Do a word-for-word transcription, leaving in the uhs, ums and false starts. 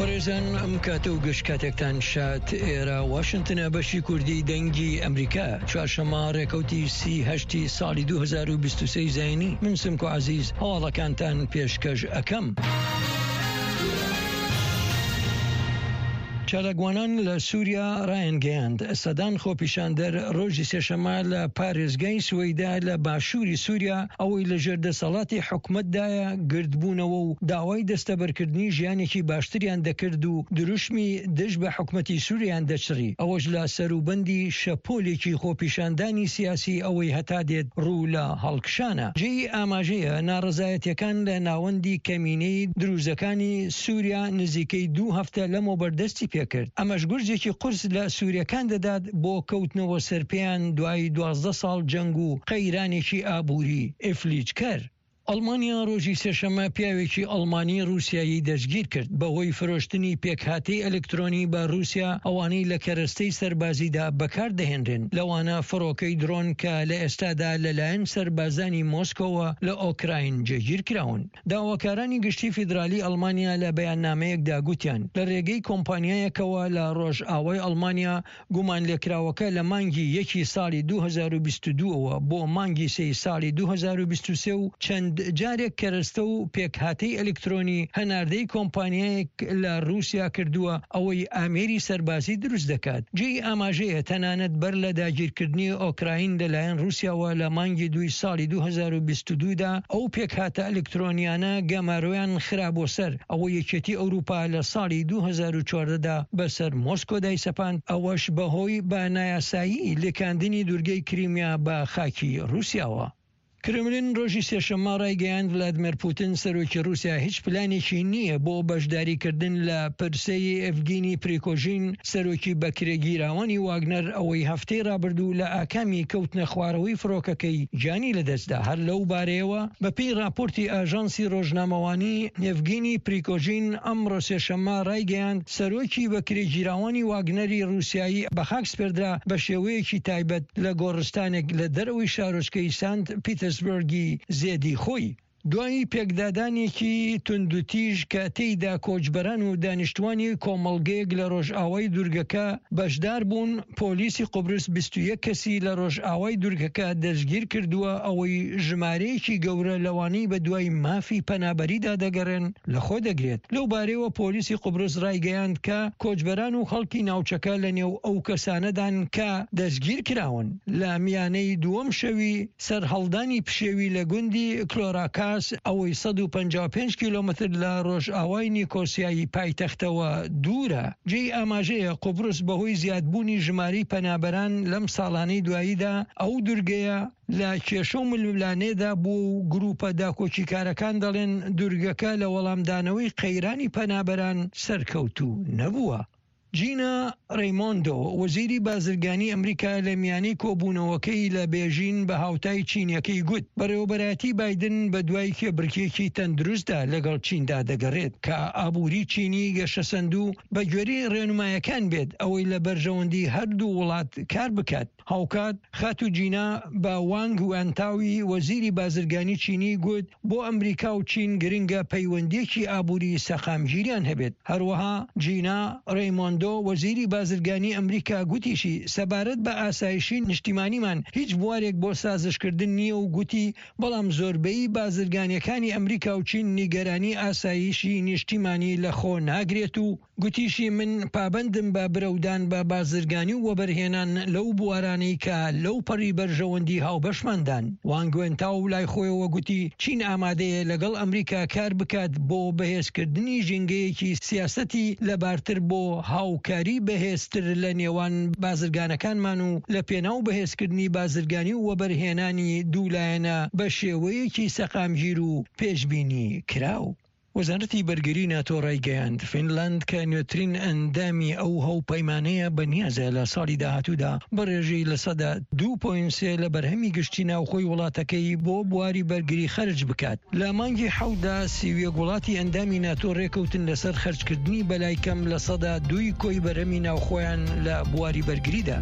بەڕێزان، ئەم کاتە و گشت کاتێکتان شاد. ئێرە واشنتنە، بەشی کوردی دەنگی ئەمریکا. چوارشەممە ڕێکەوتی سی هەشتی ساڵی دوو هەزار و بیست و سێ زایینی. من سمکۆ عەزیز هەواڵەکانتان پێشکەش ئەکەم. چالاکوانان لە سووریا ڕایانگەیاند، سەدان خۆپیشاندەر ڕۆژی سێشەممە لە پارێزگای سوەیدا لە باشووری سووریا ئەوەی لەژێر دەسەڵاتی حکومەتدایە گردبوونەوە و داوای دەستەبەرکردنی ژیانێکی باشتریان دەکرد و دروشمی دژ بە حکومەتی سووریان دەچڕی، ئەوەش لە سەروبەندی شەپۆلێکی خۆپیشاندانی سیاسی ئەوەی هەتا دێت ڕوو لە هەڵکشانە. جێی ئاماژەیە ناڕەزایەتیەکان لە ناوەندی کەمینەی دروزەکانی سووریا نزیکەی دوو هەفتە لەمەوبەر دەستی پێ کرد، ئەمەش گورزێکی قورس لە سووریەکان دەدات بۆ کەوتنەوە سەرپێیان دوای دوازدە ساڵ جەنگ و قەیرانێکی ئابووری ئیفلیجکەر. ئەڵمانیا ڕۆژی سێشەممە پیاوێکی ئەڵمانی ڕووسیایی دەستگیر کرد بەهۆی فرۆشتنی پێکهاتەی ئەلکترۆنی بە ڕووسیا ئەوانەی لە کەرەستەی سەربازیدا بەکار دەهێنرێن، لەوانە فڕۆکەی درۆن کە لە ئێستادا لەلایەن سەربازانی مۆسکۆوە لە ئۆکراین جێگیر کراون. داواکارانی گشتی فیدرالی ئەڵمانیا لە بەیاننامەیەکدا گوتیان لە رێگەی کۆمپانیایەکەوە لە ڕۆژئاوای ئەڵمانیا گومانلێکراوەکە لە مانگی یەکی ساڵی دوو هەزار و بیست و دوو ەوە بۆ مانگی سێی ساڵی دوو هەزار و بیست و سێ و چەند جارێک کەرەستە و پێکهاتەی ئەلکترۆنی هەناردەی کۆمپانیایەک لە رووسیا کردووە ئەوەی ئامێری سەربازی دروست دەکات. جێی ئاماژەیە تەنانەت بەر لە داگیرکردنی ئۆکراین لەلایەن رووسیاوە لە مانگی دووی ساڵی دوو هەزار و بیست و دوو دا ئەو پێکهاتە ئەلکترۆنیانە گەمارۆیان خرابووە سەر ئەوەی یەکێتی ئەوروپا لە ساڵی دوو هەزار و چواردە دا بەسەر مۆسکۆ دایسەپاند، ئەوەش بەهۆی بە نایاسایی لکاندنی دوورگەی کریمیا بە خاکی رووسیاوە. کرملین ڕۆژی سێشەممە ڕایگەیاند، ڤلادیمێر پوتن سەرۆکی ڕووسیا هیچ پلانێکی نییە بۆ بەشداریکردن لە پرسەی ئێڤگینی پریکۆژین سەرۆکی بەکرێگیراوانی واگنەر ئەوەی هەفتەی ڕابردوو لە ئاکامی کەوتنە خوارەوەی فڕۆکەکەی گیانی لەدەستدا. هەر لەو بارەیەوە بەپێی ڕاپۆرتی ئاژانسی ڕۆژنامەوانی ئێڤگینی پریکۆژین ئەمڕۆ سێشەممە ڕایگەیاند، سەرۆکی بەکرێگیراوانی واگنەری ڕووسیایی بەخاک سپێردرا بە شێوەیەکی تایبەت لە گۆڕستانێک لە دەرەوەی شارۆچکەی سانت پیتەرسبێرگی زێدی خۆی، دوای پێکدادانێکی توندوتیژ کە تێیدا کۆچبەران و دانیشتوانی کۆمەڵگەیەک لە ڕۆژئاوای دوورگەکە بەشدار بوون، پۆلیسی قوبرس بیست و یەک کەسی لە ڕۆژئاوای دوورگەکە دەستگیر کردووە، ئەوەی ژمارەیەکی گەورە لەوانەی بەدوای مافی پەنابەریدا دەگەڕێن لەخۆ دەگرێت. لەو بارەیەوە پۆلیسی قوبرس ڕایگەیاند کە کۆچبەران و خەڵکی ناوچەکە لەنێو ئەو کەسانەدان کە دەستگیر کراون. لە میانەی دووەم شەوی سەرهەڵدانی پشێوی لە گوندی کلۆراکاس ئەوەی سەد و پەنجا و پێنج کیلۆمەتر لە ڕۆژئاوای نیکۆسیای پایتەختەوە دوورە. جێی ئاماژەیە قوبرس بەهۆی زیادبوونی ژمارەی پەنابەران لەم ساڵانەی دواییدا ئەو دوورگەیە لە کێشە و ململانێدا بوو و گروپە داکۆکیکارەکان دەڵێن دوورگەکە لە وەڵامدانەوەی قەیرانی پەنابەران سەرکەوتوو نەبووە. جینا ڕەیمۆندۆ وەزیری بازرگانی ئەمریکا لە میانەی کۆبوونەوەکەی لە بێژین بە هاوتای چینیەکەی گوت بەڕێوەبەرایەتی بایدن بە دوای کێبڕکێکی تەندروستدا لەگەڵ چیندا دەگەڕێت کە ئابووری چینی گەشەسەندوو بە گوێرەی ڕێنمایەکان بێت ئەوەی لە بەرژەوەندی هەردوو وڵات کار بکات. هاوکات خاتوو جینا بە وانگ وانتاوی وەزیری بازرگانی چینی گوت بۆ ئەمریکا و چین گرنگە پەیوەندیەکی ئابووری سەقامگیریان هەبێت. هەروەها جینا ڕەیمۆندۆ وەزیری بازرگانی ئەمریکا گوتیشی سەبارەت بە ئاسایشی نیشتیمانیمان هیچ بوارێک بۆ سازشکردن نییە و گوتی بەڵام زۆربەی بازرگانیەکانی ئەمریکا و چین نیگەرانی ئاسایشی نیشتیمانی لەخۆ ناگرێت و گوتیشی من پابەندم بە برەودان بە بازرگانی و وەبەرهێنان لەو بوارانەی کە لەو پەڕی بەرژەوەندی هاوبەشماندان. وانگ وێنتاو لای خۆیەوە گوتی چین ئامادەیە لەگەڵ ئەمریکا کار بکات بۆ بەهێزکردنی ژینگەیەکی سیاسەتی لەبارتر بۆ هاوکاری بەهێزتر لە نێوان بازرگانەکانمان و لە پێناو بەهێزکردنی بازرگانی و وەبەرهێنانی دوولایەنە بە شێوەیەکی سەقامگیر و پێشبینی کراو. وەزارەتی بەرگری ناتۆ ڕایگەیاند، فینلاند کە نوێترین ئەندامی ئەو هاوپەیمانەیە بەنیازە لە ساڵی داهاتوودا بە ڕێژەی لە سەدا دوو پۆینت سێ لە بەرهەمی گشتی ناوخۆی وڵاتەکەی بۆ بواری بەرگری خەرج بکات. لە مانگی حەوتدا سی و یەک وڵاتی ئەندامی ناتۆ ڕێکەوتن لەسەر خەرجکردنی بەلای کەم لە سەدا دووی کۆی بەرهەمی ناوخۆیان لە بواری بەرگریدا.